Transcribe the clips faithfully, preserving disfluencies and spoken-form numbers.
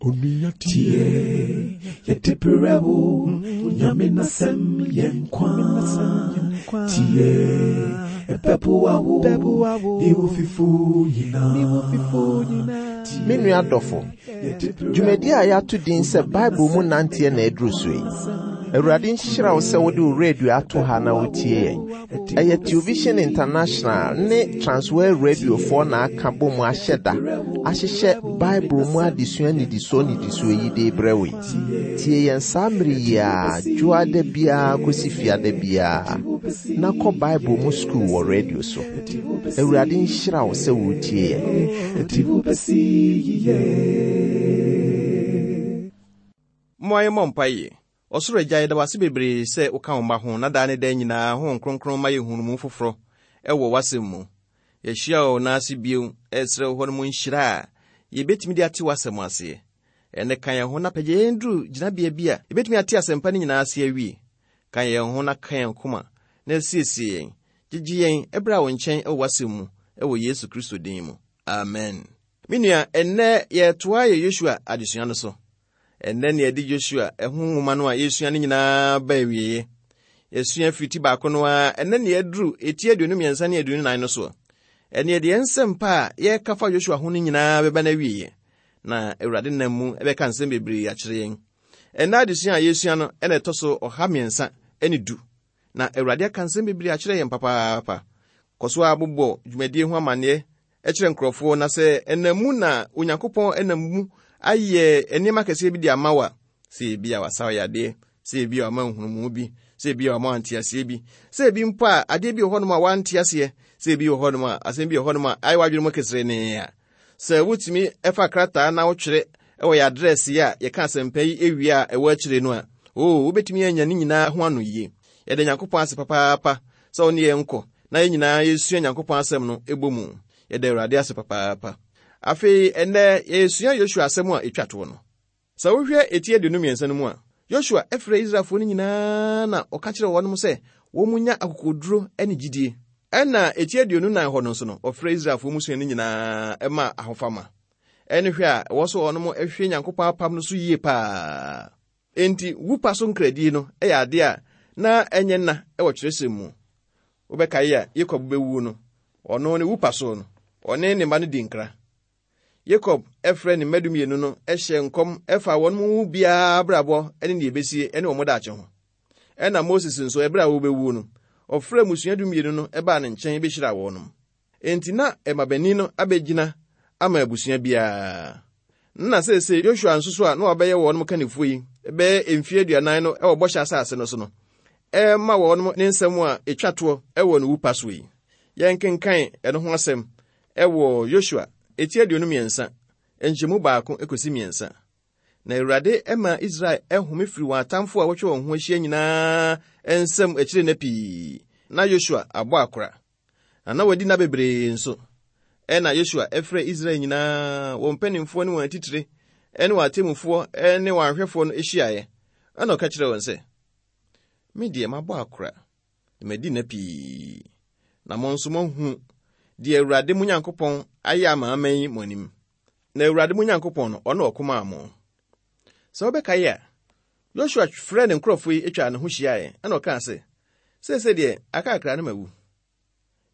Onua tie, yɛde brɛ wo, Nyame n'asɛm yɛ nkwa. Tie, ɛbɛboa wo, ne wo fifo nyinaa. Me nua dɔfo, dwumadi a yɛato din sɛ Bible mu nanteɛ na aduru so yi. Awurade nhyira wo sɛ wode wo radio ato ha na wotie yɛn. Ɛyɛ Television International ne Transworld Radiofoɔ na aka bɔ mu ahyɛ da ahyehyɛ Bible mu adesua nnidisoɔ nnidisoɔ yi de brɛ wo yi. Tie yɛn saa mmere yi a dwoada biara kɔsi fiada biara na kɔ Bible mu sukuu wɔ radio so. Awurade nhyira wo sɛ wotie yɛn. Ɛde wo bɛsi yiye. Mmoa yɛmmɔ mpaeɛ. Ɔsoro Agya, yɛda wo ase bebree sɛ woka wo mma ho na daa ne daa nyinaa Honhom Kronkron ma yɛhunu mu foforɔ ɛwɔ w'asɛm mu. Yɛahyia wo n'ase bio, ɛsrɛ wo hɔ no mu nhyira a yɛbɛtumi de ate w'asɛm aseɛ. Ɛnɛ ka yɛn ho na pagya yɛn duru gyinabea bi a yɛbɛtumi ate asɛmpa no nyinaa ase awie. Ka yɛn ho na ka yɛn koma na asiesie yɛn. Gyegye yɛn ɛberɛ a wo nkyɛn ɛwɔ w'asɛm mu ɛwɔ Yesu Kristo din mu. Amen. Me nua, ɛnnɛ yɛtoa yɛ Yosua adesua no so. Ɛnnɛ ne yɛde Yosua ɛho nwoma no a yɛsua no nyinaa ba awieeɛ. Yɛsua firi ti baako no ara, ɛnnɛ ne yɛduru eti aduonu mmiɛnsa ne aduonu nan no soɔ. Ɛne yɛde yɛn nsɛm pa a yɛreka fa Yosua ho no nyinaa bɛba no awieeɛ. Na Awurade nam mu ɛbɛka nsɛm bebree akyerɛ yɛn. Ɛnnɛ adesua a yɛsua no ɛna ɛtɔ so ɔha mmiɛnsa ne du. Na Awurade aka nsɛm bebree akyerɛ yɛn papaapa. Kɔ so a bobɔ dwumadie ho amanneɛ ɛkyerɛ nkurɔfoɔ na sɛ ɛnam mu na Onyankopɔn ɛnam mu ayɛ nneɛma kɛseɛ bi de ama wo a, sɛ ebi a wasa wo yadeɛ, sɛ ebi a wama nhunumu bi, sɛ ebi a wama nteaseɛ bi, sɛ ebi mpo a adeɛ bi wɔ hɔnom a wante aseɛ, sɛ ebi wɔ hɔnom a asɛm bi wɔ hɔnom a ayɛ w'adwene mu keserenee a, sɛ wotumi ɛfa krataa na wotwerɛ ɛwɔ yɛ address yi a yɛka asɛmpa yi ewie a ɛwɔ akyire no a, oo wobɛtumi anya ne nyinaa ho ano yie. Yɛda Nyankopɔn ase papaapa sɛ wo ne yɛn nkɔ na yɛn nyinaa yɛsua Nyankopɔn asɛm no ɛbɔ mu. Yɛda Awurade ase papaapa. Afei ɛnnɛ yɛsua Yosua asɛm a ɛtwa toɔ no. Sɛ wohwɛ eti aduonu mmiɛnsa no mu a, Yosua ɛfrɛ Israelfoɔ no nyinaa na ɔka kyerɛ wɔn sɛ wɔn mu nya akokoduro ne gyidie. Ɛna eti aduonu nan hɔ no nso no, ɔfrɛ Israelfoɔ mmusua no nyinaa ɛma ahofama. Ɛne hwɛ a ɛwɔ so wɔn hwɛ Nyankopɔn apam no so yie paa. Enti wupa so nkradie no ɛyɛ adeɛ a na ɛnyɛ nna ɛwɔ kyerɛsɛm mu. Wobɛkae a Yakob bɛwu no, ɔno ne wupa so no, ɔne ne mma no di nkra. Yakob ɛfrɛ ne mma dumienu no ɛhyɛ nkɔm ɛfa wɔn mu biara abrabɔ ɛne nea ebesie ɛne wɔn daakye ho. Ɛna Moses nso ɛberɛ a wɔbɛwu no, ɔfrɛ mmusua dumienu no ɛbaa ne nkyɛn bɛhyira wɔn. Enti na ɛmabanin no abɛgyina ama abusua biara. Na seesei Yosua nso so a na wabɛyɛ wɔn kannifoɔ yi bɛyɛ mfeɛ aduanan no ɛwɔ bɔhyɛ asase no so no, ɛma wɔn ne nsɛm a ɛtwa toɔ ɛwɔ ne wupa so yi. Yɛnkenkan ɛno ho asɛm ɛwɔ Yosua eti aduonu mmiɛnsa, nkyɛmu baako ekosi mmiɛnsa. Na Awurade ɛma Israel ɛhome firi wɔn atamfo a wɔatwa wɔn ho ahyia nyinaa nsam akyire nna pii. Na Yosua abɔ akora. Na na wadi nna bebree nso. Ɛna Yosua ɛfrɛ Israel nyinaa, wɔn mpanimfoɔ ne wɔn atitire, ɛne wɔn atemmufoɔ ɛne wɔn ahwɛfoɔ no ahyiaeɛ. Ɛna ɔka kyerɛɛ wɔn sɛ, me deɛ mabɔ akora, na madi nna pii. Na mo nso moahu deɛ Awurade mo Nyankopɔn ayɛ ama aman yi mo anim. Na Awurade mo Nyankopɔn no, ɔno ɔko maa mo. Sɛ wobɛkae a, Yosua frɛɛ ne nkurɔfoɔ yi atwa ne ho hyiaeɛ, ɛna ɔkaa sɛ, seesei deɛ aka akra no mawu.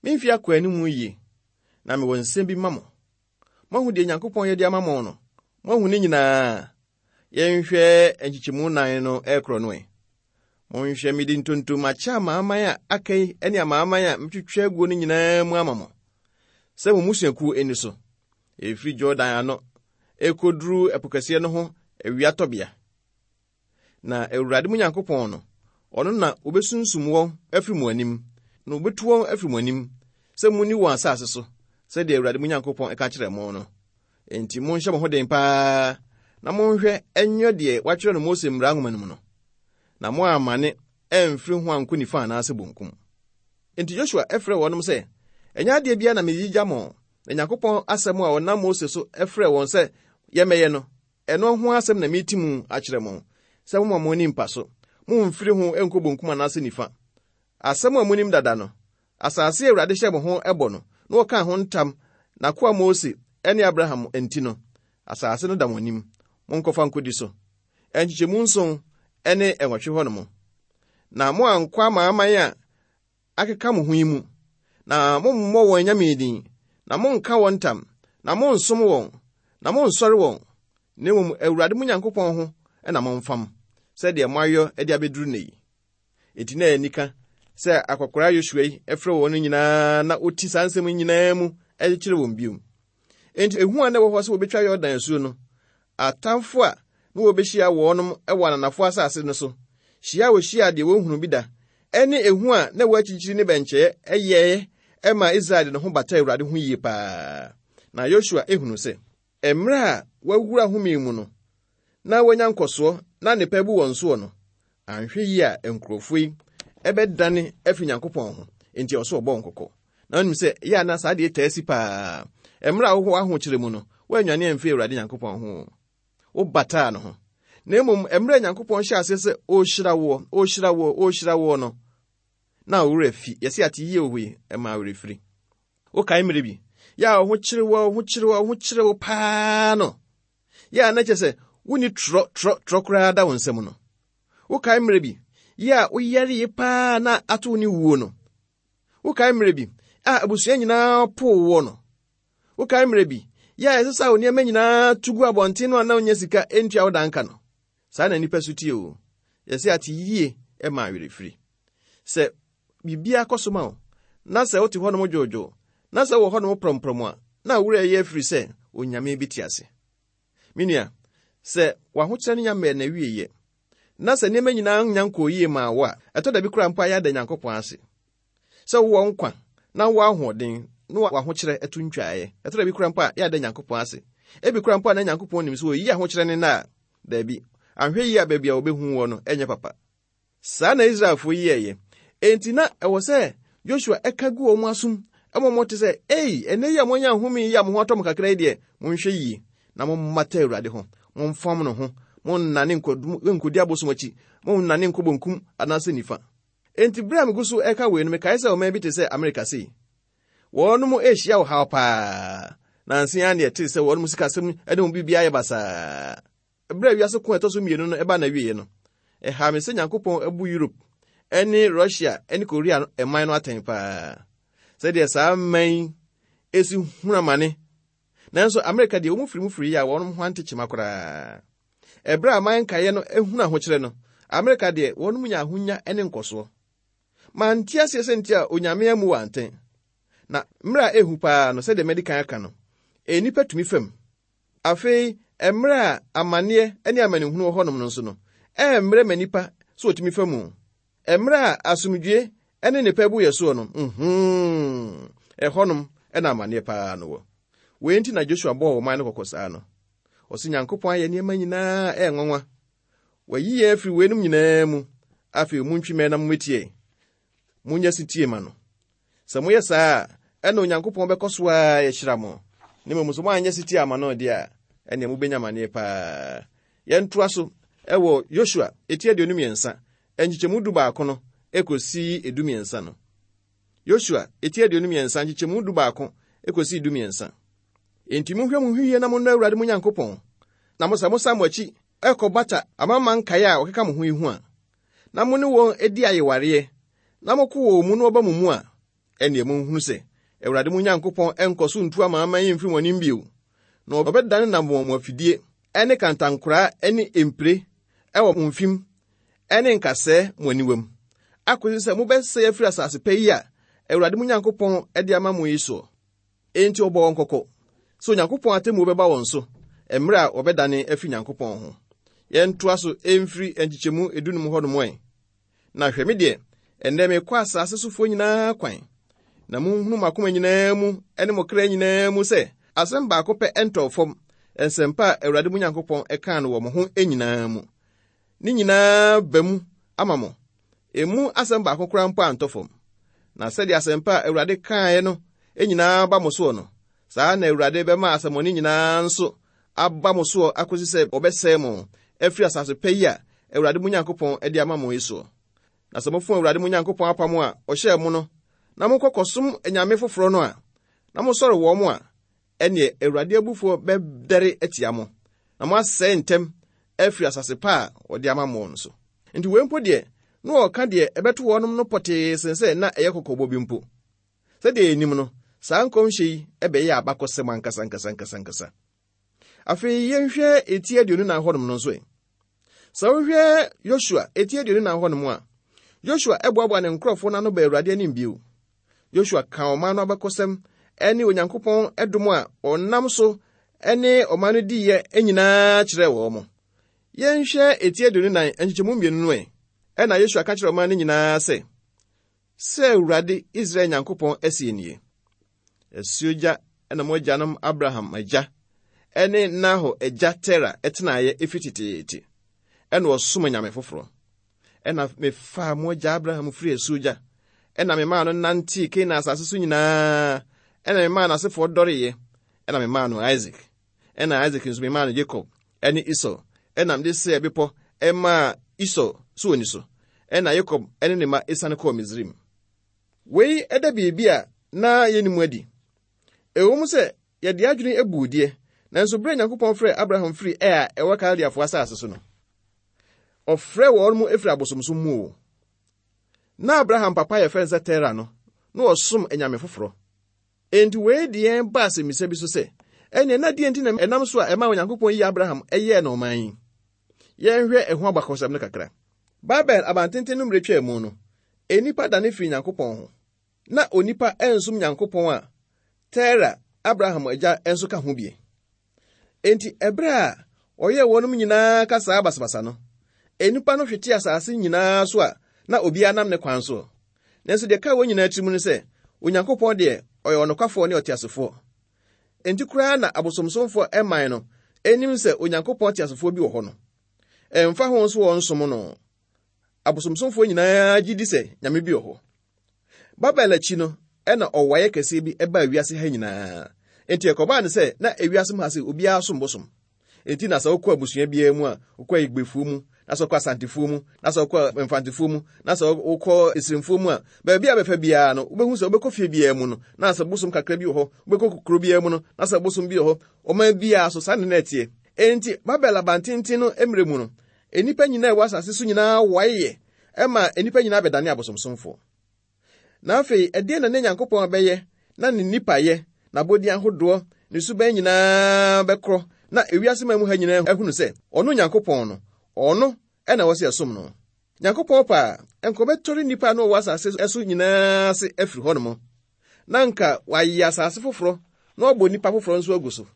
Memfi akɔ anim yie, na mewɔ nsɛm bi ma mo. Moahu deɛ Nyankopɔn yɛ de ama mo no, moahu ne nyinaa. Yɛnhwɛ nkyekyɛmu nan no ɛrekorɔ no ɛ. Monhwɛ mede ntontom akyɛ amanaman a aka yi ne amanaman a metwitwa aguo no nyinaa mu ama mo, sɛ mo mmusuakuo ani so. Ɛfiri Jordan ano ɛkɔduru ɛpo kɛseɛ no ho awiatɔbea. Na Awurade mo Nyankopɔn no, ɔno na obesunsum wɔn afiri mo anim, na obetu wɔn afiri mo anim, sɛ munni wɔn asase so, sɛdeɛ Awurade mo Nyankopɔn ɛka kyerɛ mo no. Enti monhyɛ mo ho den paa, na monhwɛ ɛnyɛ deɛ wɔatwerɛ no Mose mmara nwoma no mu no, na mo ammane ɛmfiri ho ankɔ nifa anaasɛ bonkum. Enti Yosua ɛfrɛ wɔnom sɛ, ɛnyɛ adeɛ biara na meyigya mo, na Nyankopɔn asɛm a ɔnam Mose so ɛfrɛ wɔn sɛ yɛmmɛyɛ no, ɛno ho asɛm na meti mu akyerɛ mo, sɛ momma mo ani mpa so, momfiri ho nkɔ bonkum anaasɛ nifa. Asɛm a monim dada no, asase a Awurade hyɛ mo ho ɛbɔ no, na wɔkaa ho ntam n'akoa Mose ne Abraham nti no, asase no da mo anim. Monkɔfa nkɔdi so. Nkyekyɛmu nson ne ɛnwɔtwe hɔ nom. Na moankɔ amanaman a akeka mo ho yi mu, na mommɔ wɔn anyame din, na monnka wɔn ntam, na monnsom wɔn, na monnsɔre wɔn. Na mmom Awurade mo Nyankopɔn ho na momfam, sɛdeɛ moayɔ de abɛduru nnɛ yi. Enti na ɛyɛ anika sɛ akwakoraa Yosua yi frɛ wɔn nyinaa na ɔti saa nsɛm nyinaa mu de kyerɛ wɔn bio. Enti ehu a na ɛwɔ hɔ sɛ wɔbɛtwa Yordan asuo no, atamfo a na wɔbɛhyia wɔnom wɔ ananafo asase no so, hyia a wɔhyia deɛ wɔnhunu bi da, ɛne ehu a na ɛwɔ akyirikyiri ne bɛnkyɛeɛ ɛyɛɛ ma Israel de ne ho bata Awurade ho yie paa. Na Yosua ehunu sɛ, mmerɛ a wɔawura home mu no, na wɔanya nkɔsoɔ na nnepa bu wɔn soɔ no, anhwɛ yie a nkurɔfoɔ yi ɛbɛdane afi Nyankopɔn ho, enti ɔso ɔbɔ wɔn kɔkɔ. Na wonim sɛ ɛyɛ a na saa deɛ taa si paa. Mmerɛ a wowɔ ahokyere mu no, woannwane amfiri Awurade Nyankopɔn ho. Wobataa no ho. Na mmom mmerɛ a Nyankopɔn hyɛ aseɛ sɛ ɔrehyira woɔ, ɔrehyira woɔ, ɔrehyira woɔ no, na wo werɛ fi. Yɛse ate yie wɔ hɔ yi, ɛma werɛ firi. Wokae mmerɛ bi, yɛ a wo ho kyere wo, wo ho kyere wo, wo ho kyere wo paa no, yɛ a na kyerɛ sɛ wonni torɔ, torɔ, torɔ koraa da wo nsam no. Wokae mmerɛ bi, yɛ a woyaree paa na ato wo ne wuo no. Wokae mmerɛ bi a abusua nyinaa poo woɔ no. Wokae mmerɛ bi, yɛ a ɛsɛ sɛ wo nneɛma nyinaa tu gu abɔnten no a na wonya sika ntua wo danka no. Saa na nnipa so tie o. Yɛsɛ ate yie ma awerɛfiri. Sɛ biribiara kɔ so ma wo, na sɛ wote hɔnom dwoodwoo, na sɛ wɔ hɔnom prɔmprɔm a, na wo werɛ yɛ afiri sɛ Onyame bi te ase. Me nua, sɛ w'ahokyerɛ no nya mmɛɛ na wieyɛ, na sɛ nneɛma nyinaa nya nkɔɔ yie maa wo a, ɛtɔ da bi koraa mpo a yɛada Nyankopɔn ase. Sɛ wowɔ nkwa na wowɔ ahoɔden na w'ahokyerɛ ɛto ntwaeɛ, ɛtɔ da bi koraa mpo a yɛada Nyankopɔn ase. Ebi koraa mpo a na Nyankopɔn nim sɛ oyi ahokyerɛ ne nna a, daabi, anhwɛ yie a baabi a wɔbɛhu wɔ no ɛnyɛ papa. Saa na Israelfoɔ yi yɛeɛ. Enti na ɛwɔ sɛ Joshua ɛka gu wɔn asom ɛma wɔn te sɛ, ei, ɛnnɛ yi a moanya ahome yi a mo ho atɔ mo kakra yi deɛ, monhwɛ yie na mommata Awurade ho, momfam no ho, monnane nkɔdi abosom akyi, monnane nkɔ bonkum anaasɛ nifa. Enti bere a megu so ɛka wei no, mekae sɛ ɔman bi te sɛ Amerika sei. Wɔnom ɛrehyia ɔhaw paa. Nansa yi ne ɛte sɛ wɔnom sikasɛm ne wɔn biribiara yɛ basaa. Bere a wiase ko a ɛtɔ so mmienu no ɛba n'awieeɛ no, ɛhaa me sɛ Nyankopɔn abu Europe ne Russia ne Korea ɛman no atɛn paa. Sɛdeɛ saa man yi esi hunu amane. Nanso Amerika deɛ wɔn firi mu firi yi a wɔn ho ante kyema koraa. Ɛberɛ a aman nkaeɛ no ehunu ahokyerɛ no, Amerika deɛ wɔn nya ahonya ne nkɔsoɔ. Mante aseɛ sɛ nti a Onyame amu wɔ antɛn. Na mmerɛ a ehu paa no, sɛdeɛ madi kan aka no, nnipa tumi fam. Afei, mmerɛ a amanneɛ ne amanehunu wɔ hɔnom no nso no, ɛmmerɛ ma nnipa sɛ wɔtumi fa mu. Mmerɛ a asomdwie ne nnepa bu yɛ soɔ no, mhm, ɛhɔnom ɛna amanneɛ paa no wɔ. Wei nti na Joshua bɔɔ ɔman no kɔkɔ saa no. Ɔse Nyankopɔn ayɛ nneɛma nyinaa ɛyɛ nwanwa. Wayi yɛn afiri weinom nyinaa mu. Afei montwi mmɛn na mommetie. Monyɛ setie ma no. Sɛ moyɛ saa a, ɛna Onyankopɔn bɛkɔ so a yɛhyira mo. Ne mmom sɛ moanyɛ setie ama no deɛ a, ɛnea mobɛnya amanneɛ paa. Yɛntoa so ɛwɔ Yosua eti aduonu mmiɛnsa, nkyekyɛmu du baako no ekosi edu mmiɛnsa no. Yosua eti aduonu mmiɛnsa, nkyekyɛmu du baako ekosi du mmiɛnsa. Enti monhwɛ mo ho yie na monnɔ Awurade mo Nyankopɔn, na mo sɛ mosan mo akyi ɛkɔbata amanaman nkaeɛ a wɔkeka mo ho yi ho a, na mo ne wɔn adi ayewareɛ, na moko wɔn mu na wɔba mo mu a, ɛnneɛ monhunu sɛ Awurade mo Nyankopɔn ɛnkɔ so ntu amanaman yi mfiri mo anim bio, na ɔbɛdane nam wɔn mo afidie ɛne kantankoraa ɛne mpire ɛwɔ mo mfim ɛne nkasɛɛ mo aniwam, akɔsi sɛ mobɛsɛe afiri asase pa yi a Awurade mo Nyankopɔn de ama mo yi soɔ. Enti ɔbɔ wɔn kɔkɔ sɛ Onyankopɔn atemmuo bɛba wɔn so mmerɛ a wɔbɛdane afiri Nyankopɔn ho. Yɛntoa so ɛmfiri nkyekyɛmu edunum hɔnom ɛ. Na hwɛ me deɛ, ɛnnɛ mekɔ asase sofoɔ nyinaa kwan, na monhunu mo akoma nyinaa mu ne mo kra nyinaa mu sɛ asɛm baako pɛ ɛntɔɔ fam, nsɛmpa a Awurade mo Nyankopɔn ɛkaa no wɔ mo ho nyinaa mu. Ne nyinaa ba mu ama mo. Emu asɛm baako koraa mpo antɔ fam. Na sɛdeɛ asɛmpa a Awurade kaeɛ no nyinaa ba mo soɔ no, saa na Awurade bɛma asɛmmɔne nyinaa nso aba mo soɔ akɔsi sɛ wɔbɛsɛe mo afiri asase pa yi a Awurade mo Nyankopɔn de ama mo yi soɔ. Na sɛ mofom Awurade mo Nyankopɔn apam a ɔhyɛɛ mo no, na mokɔ kɔsom anyame foforɔ no a, na mosɔre wɔn a, ɛneɛ Awurade abufuo bɛdɛre atia mo, na moasɛe ntɛm afiri asase pa a wɔde ama mo no so. Nti wei mpo deɛ, na wɔka deɛ ɛbɛto wɔnom no pɔtee sen sɛ na ɛyɛ kɔkɔbɔ bi mpo. Sɛdeɛ yɛnim no, saa nkɔmhyɛ yi ɛbɛyɛ abakɔsɛm ankasa ankasa ankasa ankasa. Afei yɛnhwɛ eti aduonu nan hɔnom no nso ɛ. Sɛ wohwɛ Yosua eti aduonu nan hɔnom a, Yosua ɛboaboa ne nkurɔfoɔ no ano ba Awurade anim bio. Yosua ka ɔman no abakɔsɛm ɛne Onyankopɔn ɛdom a ɔnam so ɛne ɔman no diiɛ nyinaa kyerɛɛ wɔn mo. Yɛnhwɛ eti aduonu nan nkyekyɛmu mmienu no ɛ. Ɛna Yosua ka kyerɛɛ ɔman no nyinaa sɛ, sɛ Awurade Israel Nyankopɔn asie nie. Asuogya ɛna mo agyanom Abraham agya ɛne Nahor agya Tera ɛtenaeɛ efi teteete. Ɛna ɔsom anyame foforɔ. Ɛna mefaa mo agya Abraham firi asuogya. Ɛna memaa no nantee Kanaan asase so nyinaa. Ɛna memaa n'asefoɔ dɔreeɛ. Ɛna memaa no Isaac. Ɛna Isaac nso memaa no Jacob ɛne Esau. Ɛna mede Seir bepɔ ɛmaa Esau so wɔ ni so. Ɛna Jacob ɛne ne mma esiane kɔɔ Misraim. Wei ɛda biribi a na yɛnim adi. Ɛwɔ mu sɛ yɛde adwene abu deɛ, nanso berɛ a Nyankopɔn frɛɛ Abraham firi Ur a ɛwɔ Kaldeafoɔ asase so no, ɔfrɛɛ wɔn mu efiri abosomsom mu o. Na Abraham papa yɛ fɛn sɛ Tera no, na ɔsom anyame foforɔ. Enti wei de yɛn ba asɛmmisa bi so sɛ, ɛnneɛ na deɛ nti na ɛnam so a ɛma Onyankopɔn yi Abraham ɛyɛɛ no ɔman yi? Yɛnhwɛ ɛho abakɔsɛm no kakra. Babel abantenten no mmerɛ twaa mu no, nnipa dane firi Nyankopɔn ho. Na onipa ɛnsom Nyankopɔn a Tera, Abraham agya nso ka ho bie. Enti ɛberɛ a ɔyɛɛ wɔnom nyinaa kasaa basabasa no, nnipa no hwete asase nyinaa so a na obiara nam ne kwan so. Nanso deɛ ka wɔn nyinaa tirim ne sɛ, Onyankopɔn deɛ ɔyɛ ɔnokwafoɔ ne ɔteasefoɔ. Enti koraa na abosomsomfoɔ ɛman no anim sɛ Onyankopɔn teasefoɔ bi wɔ hɔ no. Ɛmfa ho nso wɔn nsom no. Abosomsomfoɔ nyinaa gye di sɛ Nyame bi wɔ hɔ. Babel akyi no, ɛna ɔwaeɛ kɛseɛ bi ɛbaa wiase ha nyinaa. Enti ɛkɔbaa ne sɛ na ewiase mu ha sɛ obiara som bosom. Enti na sɛ wokɔ abusua biara mu a, wokɔ Igbefoɔ mu, na sɛ wokɔ Asantefoɔ mu, na sɛ wokɔ Mfantefoɔ mu, na sɛ wokɔ Esirimfoɔ mu a, baabi a bɛfa biara no, wobɛhu sɛ wobɛkɔ fie biara mu no, na sɛ bosom kakra bi wɔ hɔ, wobɛkɔ kuro biara mu no, na sɛ bosom bi wɔ hɔ, ɔman biara so saa ne na ɛteɛ. Enti Babel abantenten no mmerɛ mu no, nnipa nyinaa a ɛwɔ asase so nyinaa waeɛ ɛma nnipa nyinaa bɛdane abosomsomfoɔ. Na afei, ɛdeɛn na ne Nyankopɔn bɛyɛ na ne nnipayɛ, n'abɔdin ahodoɔ, ne suban nyinaa bɛkorɔ na ewiase man mu ha nyinaa ahunu sɛ ɔno Nyankopɔn no, ɔno ɛna ɛwɔ sɛ yɛsom no. Nyankopɔn pa a, nka ɔbɛtɔre nnipa a na wɔwɔ asase so nyinaa ase afiri hɔnom. Na nka wayɛ asase foforɔ na wabɔ nnipa foforɔ nso agu so.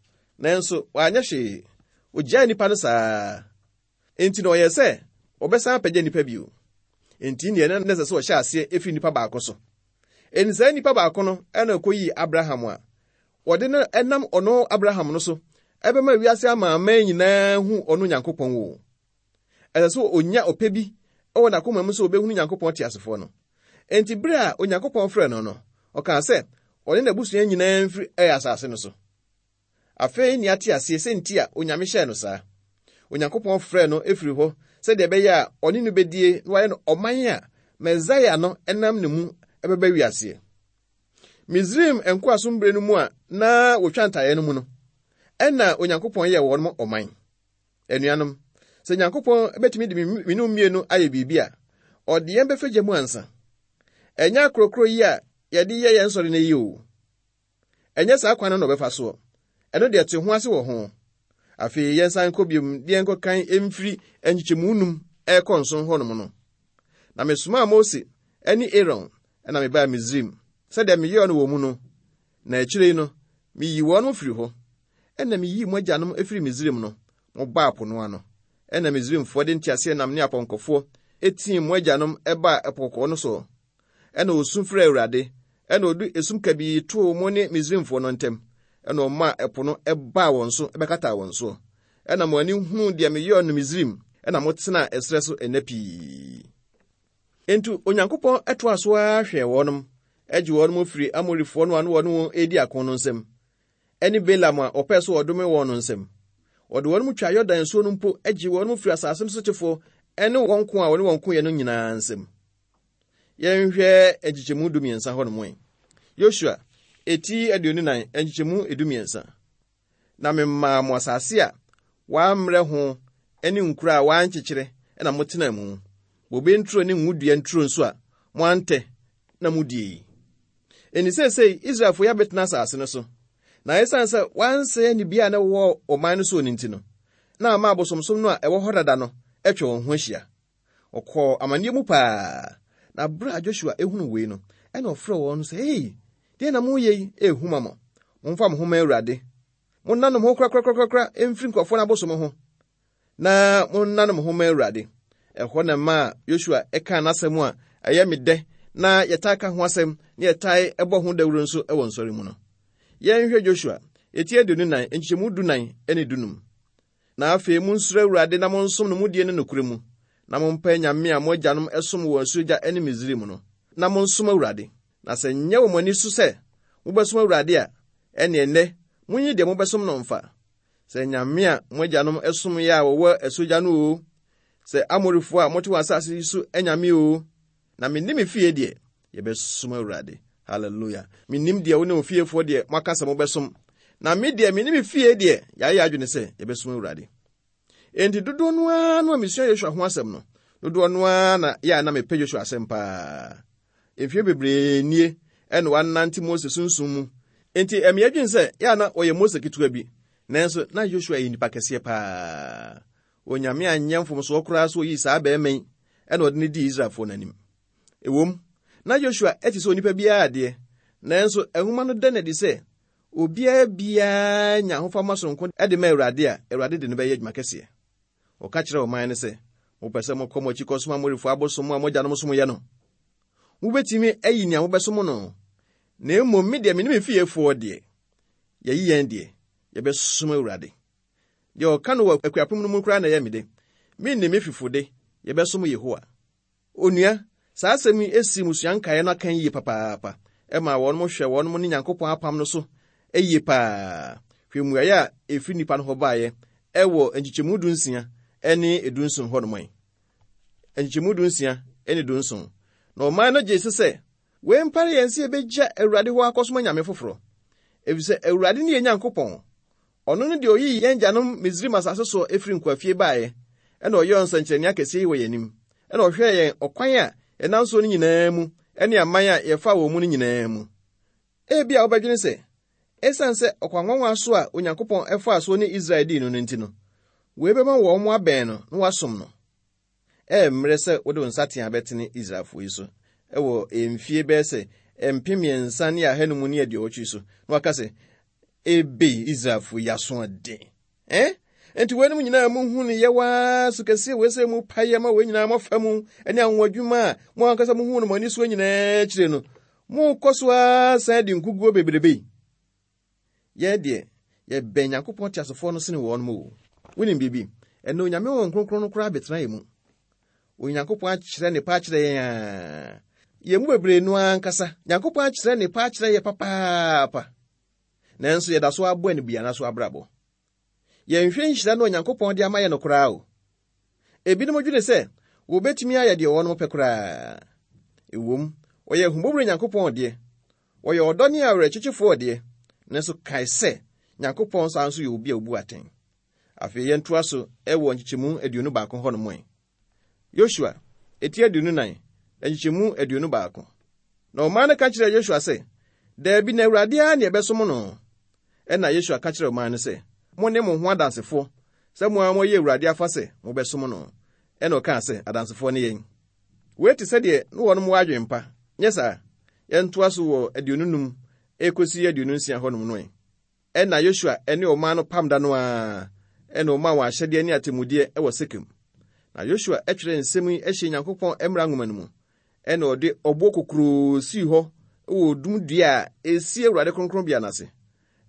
Nanso wanyɛ hwee. Ogyaa nnipa no saa. Enti na ɔyɛ sɛ ɔbɛsan apagya nnipa bio. Enti neɛ na ɛsɛ sɛ ɔhyɛ aseɛ efiri nnipa baako so. Enti saa nnipa baako no ɛna ɔkɔyii Abraham a wɔde no ɛnam ɔno Abraham no so ɛbɛma wiase amanaman nyinaa hu ɔno Nyankopɔn wo. Ɛsɛ sɛ onya ɔpɛ bi ɛwɔ n'akoma mu sɛ obɛhunu Nyankopɔn teasefoɔ no. Enti bere a Onyankopɔn frɛ no no, ɔkaa sɛ ɔne n'abusua nyinaa mfiri ɛyɛ asase no so. Afei nea ate aseɛ sɛ nti a Onyame hyɛɛ no saa. Onyankopɔn frɛ no efiri hɔ sɛdeɛ ɛbɛyɛ a ɔne no bɛdie na wayɛ no ɔman a Mesaia no ɛnam ne mu ɛbɛba wiaseɛ. Misraim nkoasom bere no mu a na wɔtwa ntaeɛ no mu no, ɛna Onyankopɔn yɛɛ wɔn ɔman. Anuanom, sɛ Nyankopɔn bɛtumi de mmienu mmienu ayɛ biribi a, ɔde yɛn bɛfa gya mu ansa. Ɛnyɛ akorɔkorɔ yi a yɛde yɛ yɛn sɔre no yi o. Ɛnyɛ saa kwan no na ɔbɛfa soɔ. Ɛno deɛ te ho ase wɔ ho. Afei yɛnsan nkɔ biom de yɛnkɔkan mfiri nkyekyɛmu num ɛrekɔ nson hɔnom no. Na mesomaa Mose ne Aaron ɛna mebaa Misraim sɛdeɛ meyɛɛ no wɔ mu no. Na akyire yi no, miyii wɔn firi hɔ. Ɛna miyii mo agyanom efiri Misraim no, mobaa po no ano. Ɛna Misraimfoɔ de nteaseɛnam ne apɔnkɔfoɔ etii mo agyanom ɛbaa ɛpo kɔkɔɔ no so. Ɛna osu frɛɛ Awurade, ɛna ɔde esum kabii too mo ne Misraimfoɔ no ntam. Ɛna ɔmaa ɛpo no ɛbaa wɔn so ɛbɛkataa wɔn so. Ɛna mo ani huu deɛ meyɛɛ no Misraim, ɛna motenaa ɛserɛ so nna pii. Enti Onyankopɔn ɛtoa so ara hwɛɛ wɔnom, ɛgye wɔnom firi Amorifoɔ no a na wɔne wɔn redi ako no nsam, ɛne Balaam a ɔpɛɛ sɛ ɔdome wɔn no nsam. Ɔde wɔnom twa Yordan nsuo no mpo agye wɔnom firi asase no sotefoɔ ɛne wɔn ko a wɔne wɔn koeɛ no nyinaa nsam. Yɛnhwɛ nkyekyɛmu dumiɛnsa hɔnom ɛ. Yosua, eti aduonu nan, nkyekyɛmu edumiɛnsa. Na memaa mo asase a wɔammrɛ ho ne nkuro a wɔankyekyere na motena mu. Bobe nturo ne ngodua nturo nso a moantɛ na mudie yi. Enti seesei Israelfo yi abɛtena asase no so. Na esiane sɛ wɔansɛe anibia a na ɛwɔ ɔman no so no nti no, na ama abosomsom no a ɛwɔ hɔ dada no atwa wɔn ho ahyia. Ɔkɔɔ amanneɛ mu paa. Na bere a Joshua ehunu wei no, ɛna ɔfrɛ wɔn sɛ, "Ei, deɛ na moyɛ yi ehu ma mo. Momfa mo ho ma Awurade. Monnane mo ho korakorakorakora mfiri nkurɔfoɔ no abosom ho, na monnane mo ho ma Awurade." Ɛhɔ na ma Joshua ɛkaa n'asɛm a ɛyɛ me dɛ na yɛtaa ka ho asɛm na yɛtaa ɛbɔ ho dawuro nso ɛwɔ nsɔre mu no. Yɛnhwɛ Joshua, eti aduonu nan, nkyɛmu dunan ne dunum. Na afei monsuro Awurade na monsom no mudie ne nokorɛ mu, na mompɛ nyame a mo agyanom ɛsom wɔ asuogya ne Misraim no, na monsom Awurade. Na sɛ nyɛ wɔ mo ani so sɛ mobɛsom Awurade a, ɛne ɛnnɛ monyi deɛ mobɛsom no mfa. Sɛ nyame a mo agyanom ɛsom yɛ a wɔwɔ asuogya no o, sɛ Amorifoɔ a mote wɔn asase yi so anyame o, na menni me fie deɛ, yɛbɛsom Awurade. Hallelujah. Mennim deɛ wo ne wo fiefoɔ deɛ moaka sɛ mobɛsom. Na me deɛ menni me fie deɛ, yɛayɛ adwene sɛ yɛbɛsom Awurade. Enti dodoɔ no ara no a mesua Yosua ho asɛm no, dodoɔ no ara na yɛ a na mepɛ Yosua asɛm paa. Mfeɛ bebree nie ɛna wanante Mose sunsum mu. Enti ɛme adwene sɛ yɛ a na ɔyɛ Mose ketewa bi, nanso na Yosua yɛ nipa kɛseɛ paa. Onyame anyɛ mfomsoɔ koraa so oyii saa bɛrima yi ɛna ɔde no dii Israelfoɔ n'anim. Ɛwom, na Yosua ɛte sɛ onipa biara adeɛ, nanso nwoma no da no adi sɛ obiara biara nya ahofama sononko de ma Awurade a Awurade de no bɛyɛ adwuma kɛseɛ. Ɔka kyerɛɛ ɔman no sɛ, mopɛ sɛ mokɔ mo akyi kɔsom Amorifoɔ abosom a mo agyanom somyɛ no. Mobɛtumi ayi nea mobɛsom no, na mmom me deɛ me ne me fiefoɔ deɛ, yɛyi yɛn deɛ, yɛbɛsom Awurade. Deɛ ɔka no wɔ akuapem no mu koraa na ɛyɛ me de. Me ne me fifo de, yɛbɛsom Yehowa. Onua, saa asɛm yi esi mmusua nkaeɛ no aka yie papaapa. Ɛma wɔn hwɛ wɔn ne Nyankopɔn apam no so yie paa. Hwɛ mmuaeɛ a ɛfiri nnipa no hɔ baeɛ ɛwɔ nkyekyɛmu dunsia ne edunson hɔnom yi. Nkyekyɛmu dunsia ne dunson. Na ɔman no gye se sɛ, wei mpare yɛn sɛ yɛbɛgya Awurade hɔ akɔsom anyame foforɔ. Efisɛ Awurade ne yɛn Nyankopɔn. Ɔno ne deɛ oyii yɛn agyanom Misraim asase so efiri nkoafie baeɛ, ɛna ɔyɛɛ nsɛnkyerɛnne akɛseɛ yi wɔ yɛn anim. Ɛna ɔhwɛɛ yɛn ɔkwan a yɛnam so no nyinaa mu ne aman a yɛfaa wɔn mu no nyinaa mu. Ebia wobɛdwene sɛ, esiane sɛ ɔkwan nwanwa so a Onyankopɔn ɛfaa so ne Israel dii no no nti no, wei bɛma wɔn abɛn no na wɔasom no. Ɛyɛ mmerɛ sɛ wode wo nsateaa bɛtene Israelfoɔ yi so ɛwɔ mfie bɛyɛ sɛ mpem mmiɛnsa ne ahanum ne aduɔwɔtwe so, na waka sɛ, ebe Israelfoɔ yi asoɔden. Eh? Enti weinom nyinaa muhu no yɛwaa so kɛseɛ wei sɛ mu payɛ ma wei nyinaa moafa mu ne anwonwadwuma a mo ankasa muhu no mo ani soɔ nyinaa akyire no, mokɔ so ara san di nkuguo bebrebe yi. Yɛn deɛ, yɛbɛn Nyankopɔn teasefoɔ no sene wɔn mu o. Wonim biribi? Ɛnna Onyame Honhom Kronkron no koraa bɛtena yɛn mu. Onyankopɔn akyerɛ ne pa akyerɛ yɛn a, yɛn mu bebree no ankasa, Nyankopɔn akyerɛ ne pa akyerɛ yɛ papaapa. Nanso yɛda so abɔ anibuana so abrabɔ. Yɛnhwɛ nhyira no Onyankopɔn de ama yɛn no koraa o. Ebinom dwene sɛ wɔbɛtumi ayɛ deɛ wɔn pɛ koraa. Ɛwom, ɔyɛ ahummɔborɔ Nyankopɔn deɛ, ɔyɛ ɔdɔ ne awerɛkyekyefoɔ deɛ, nanso kae sɛ Nyankopɔn saa nso yɛ obi a obu atɛn. Afei yɛntoa so ɛwɔ nkyekyɛmu aduonu baako hɔnom ɛ. Yosua, eti aduonu nan, nkyekyɛmu aduonu baako. Na ɔman no ka kyerɛɛ Yosua sɛ, daabi na Awurade ara ne ɛbɛsom no. Ɛna Yosua ka kyerɛɛ ɔman no sɛ, mo ne mo ho adansefoɔ sɛ mo ara moyɛ Awurade afa sɛ mobɛsom no. Ɛna ɔkaa sɛ, adansefoɔ ne yɛn. Wei te sɛdeɛ ne wɔnom wɔ adwene pa. Nyɛ saa, yɛntoa so wɔ aduonu num ekosi aduonu nsia hɔnom no ɛ. Ɛna Yosua ne ɔman no pam da no ara, ɛna ɔmaa wɔn ahyɛdeɛ ne atemmudeɛ wɔ Sekem. Na Yosua twerɛɛ nsɛm yi hyɛɛ Nyankopɔn mmara nwoma no mu, ɛna ɔde ɔboɔ kokuroo sii hɔ wɔ odum dua a esi Awurade kronkronbea no ase.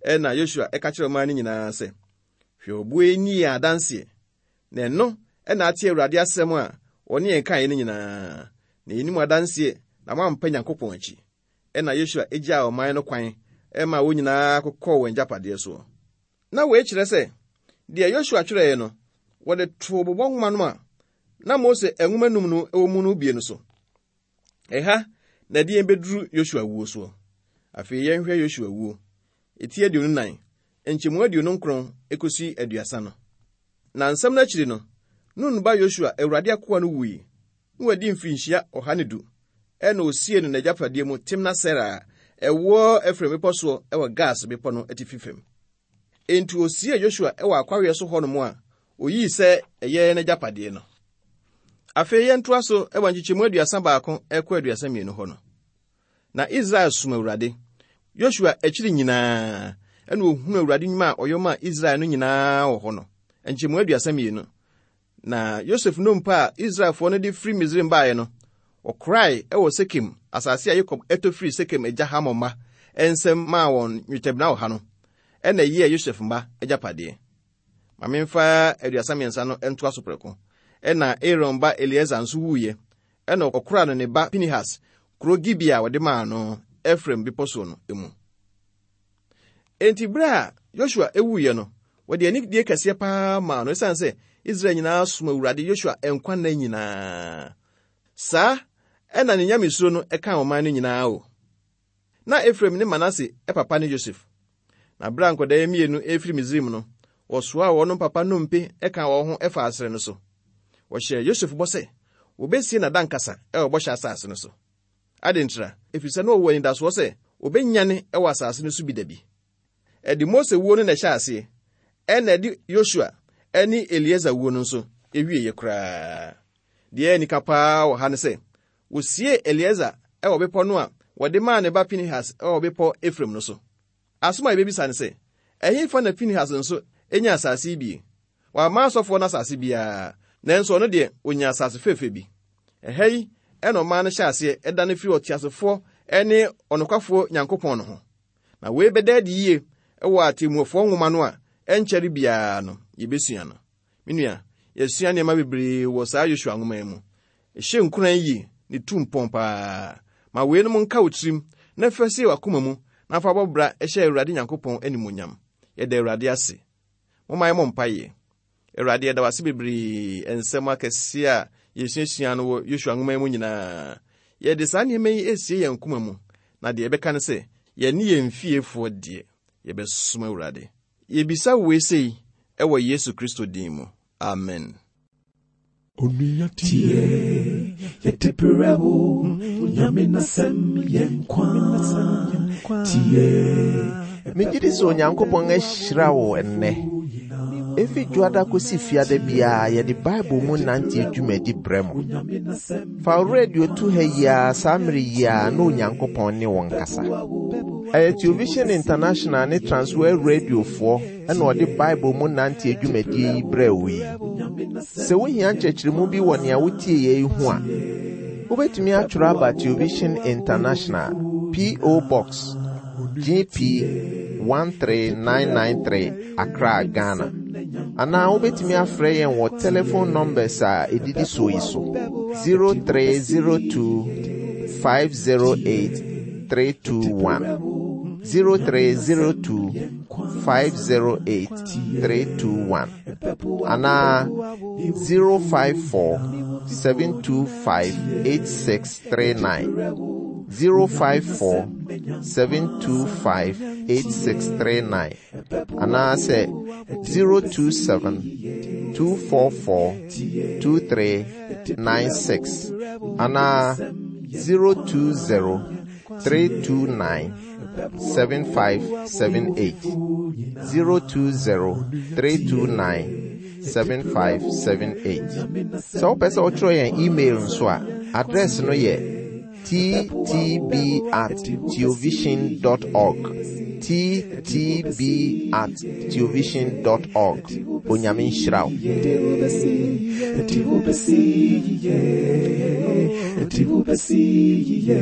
Ɛna Yosua ka kyerɛɛ ɔman no nyinaa sɛ, hwɛ ɔboɔ yi ni yɛn adanseɛ, na ɛno ɛna ate Awurade asɛm a ɔne yɛn kaeɛ no nyinaa. Na yɛnim adanseɛ na moampɛ Nyankopɔn akyi. Ɛna Yosua gyaa ɔman no kwan ɛma wɔn nyinaa kokɔɔ wɔn agyapadeɛ soɔ. Na wei kyerɛ sɛ, deɛ Yosua twerɛeɛ no, wɔde too bobɔ nwoma no a na Mose nwoma num no wɔ mu no bie no so. Ɛha na ɛde yɛn bɛduru Yosua wuo soɔ. Afei yɛnhwɛ Yosua wuo. Eti aduonu nan, nkyɛmu aduonu nkron ekosi aduasa no. Na nsɛm no akyiri no, Nun ba Yosua, Awurade akoa no wui, na wadi mfirinhyia ɔha ne du. Ɛna osiee no n'agyapadeɛ mu Timna-Sera a ɛwɔ Efraim bepɔ soɔ wɔ Gaas bepɔ no atifi fam. Enti osiee Yosua wɔ akwaweɛ so hɔnom a oyii sɛ ɛyɛ n'agyapadeɛ no. Afei yɛntoa so wɔ nkyekyɛmu aduasa baako ɛkɔ aduasa mmienu hɔ no. Na Israel som Awurade. Yosua akyiri nyinaa, ɛna ohunu Awurade nnwuma a ɔyɛ maa Israel no nyinaa wɔ hɔ no. Nkyɛmu aduasa mmienu. Na Yosef nnompe a Israelfoɔ no de firi Misraim baeɛ no, wɔkorae wɔ Sekem, asase a Yakob ɛtɔ firi Sekem agya Hamor mma nsam maa wɔn nnwetɛbena ɔha no, ɛna ɛyɛɛ Yosef mma agyapadeɛ. Ma memfa aduasa mmiɛnsa no ntoa so prɛko. Ɛna Aaron ba Eleasar nso wuiɛ, ɛna ɔkoraa no ne ba Pinehas kuro Gibea a wɔde maa no Efraim bepɔ soɔ no mu. Enti bere a Yosua ewuiɛ no, wɔde anidie kɛseɛ paa maa no ɛsiane sɛ Israel nyinaa som Awurade Yosua nkwa nna nyinaa. Saa ɛna ne nyamesuro no ɛkaa ɔman no nyinaa o. Na Efraim ne Manase papa ne Yosef. Na bere a nkwadaa mmienu efiri Misraim no, wɔsoaa wɔn papa nnompe ɛka wɔn ho ɛfa asere no so. Wɔhyɛɛ Yosef bɔ sɛ wobesie n'adankasa ɛwɔ bɔhyɛ asase no so. Ade ntira, ɛfiri sɛ na ɔwɔ anidasoɔ sɛ obenyane ɛwɔ asase no so bi da bi. Ɛde Mose wuo no na ɛhyɛ aseɛ, ɛna ɛde Yosua ɛne Elieser wuo no nso ewieɛ koraa. Deɛ ɛyɛ nika paa wɔ ha ne sɛ, wosie Elieser ɛwɔ bepɔ no a wɔde maa ne ba Pinehas ɛwɔ bepɔ Efraim no so. Asɛm a yɛbɛbisa ne sɛ, ɛhefa na Pinehas nso enya asase yi bi? Wamma asɔfoɔ no asase biara, nanso ɔno deɛ onya asase fɛfɛ bi. Ɛha yi ɛna ɔman no hyɛ aseɛ ɛdane firi ɔteasefoɔ ɛne ɔnokwafoɔ Nyankopɔn no ho. Na wei bɛda adi yie ɛwɔ atemmuafoɔ nwoma no a ɛnkyɛre biara no yɛbɛsua no. Me nua, yɛsua nneɛma bebree wɔ saa Yosua nwoma yi mu. Ɛhyɛ nkuran yie ne tu mpɔn paa. Ma weinom nka wo tirim na fa sie w'akoma mu na fa bɔ bra ɛhyɛ Awurade Nyankopɔn animuonyam. Yɛda Awurade ase. Momma yɛmmɔ mpaeɛ. Awurade, yɛda wo ase bebree nsɛm akɛseɛ a yɛsuasua no wɔ Yosua nwoma yi mu nyinaa. Yɛde saa nneɛma yi esie yɛn koma mu, na deɛ yɛbɛka ne sɛ, yɛne yɛn fiefoɔ deɛ, yɛbɛsom Awurade. Yɛbisa wei sei ɛwɔ Yesu Kristo din mu. Amen. Onua tie, yɛde brɛ wo, Onyame n'asɛm yɛ nkwa. Tie, Megye di sɛ Onyankopɔn ahyira wo ɛnnɛ. Efi dwoada kosi fiada biara yɛde Bible mu nante dwumadi brɛ mo. Fa wo radio to ha yi ara saa mmere yi ara na Onyankopɔn ne wo nkasa. Ɛyɛ Television International ne Transworld Radiofoɔ ɛna ɔde Bible mu nante dwumadie yi brɛ wo yi. Sɛ wohia nkyerɛkyerɛmu bi wɔ nea wotie yɛ yi ho a, wobɛtumi atwerɛ aba Television International, P O. Box G P one three nine nine three, Accra, Ghana. Anaa wobɛtumi afrɛ yɛn wɔ telephone numbers a ɛdidi soɔ yi so: zero three zero two five zero eight three two one, zero three zero two five zero eight three two one, anaa zero five four seven two five eight six three nine, zero five four seven two five eight six three nine, anaasɛ zero two seven two four four two three nine six, anaa zero two zero three two nine seven five seven eight, zero two zero three two nine seven five seven eight. Sɛ wopɛ sɛ wotwerɛ yɛn email nso a, address no yɛ T T B at theovision dot org, T T B at theovision dot org. Onyame nhyira wo. Yɛde wo bɛsi, yɛde wo bɛsi yie, yɛde wo bɛsi yie.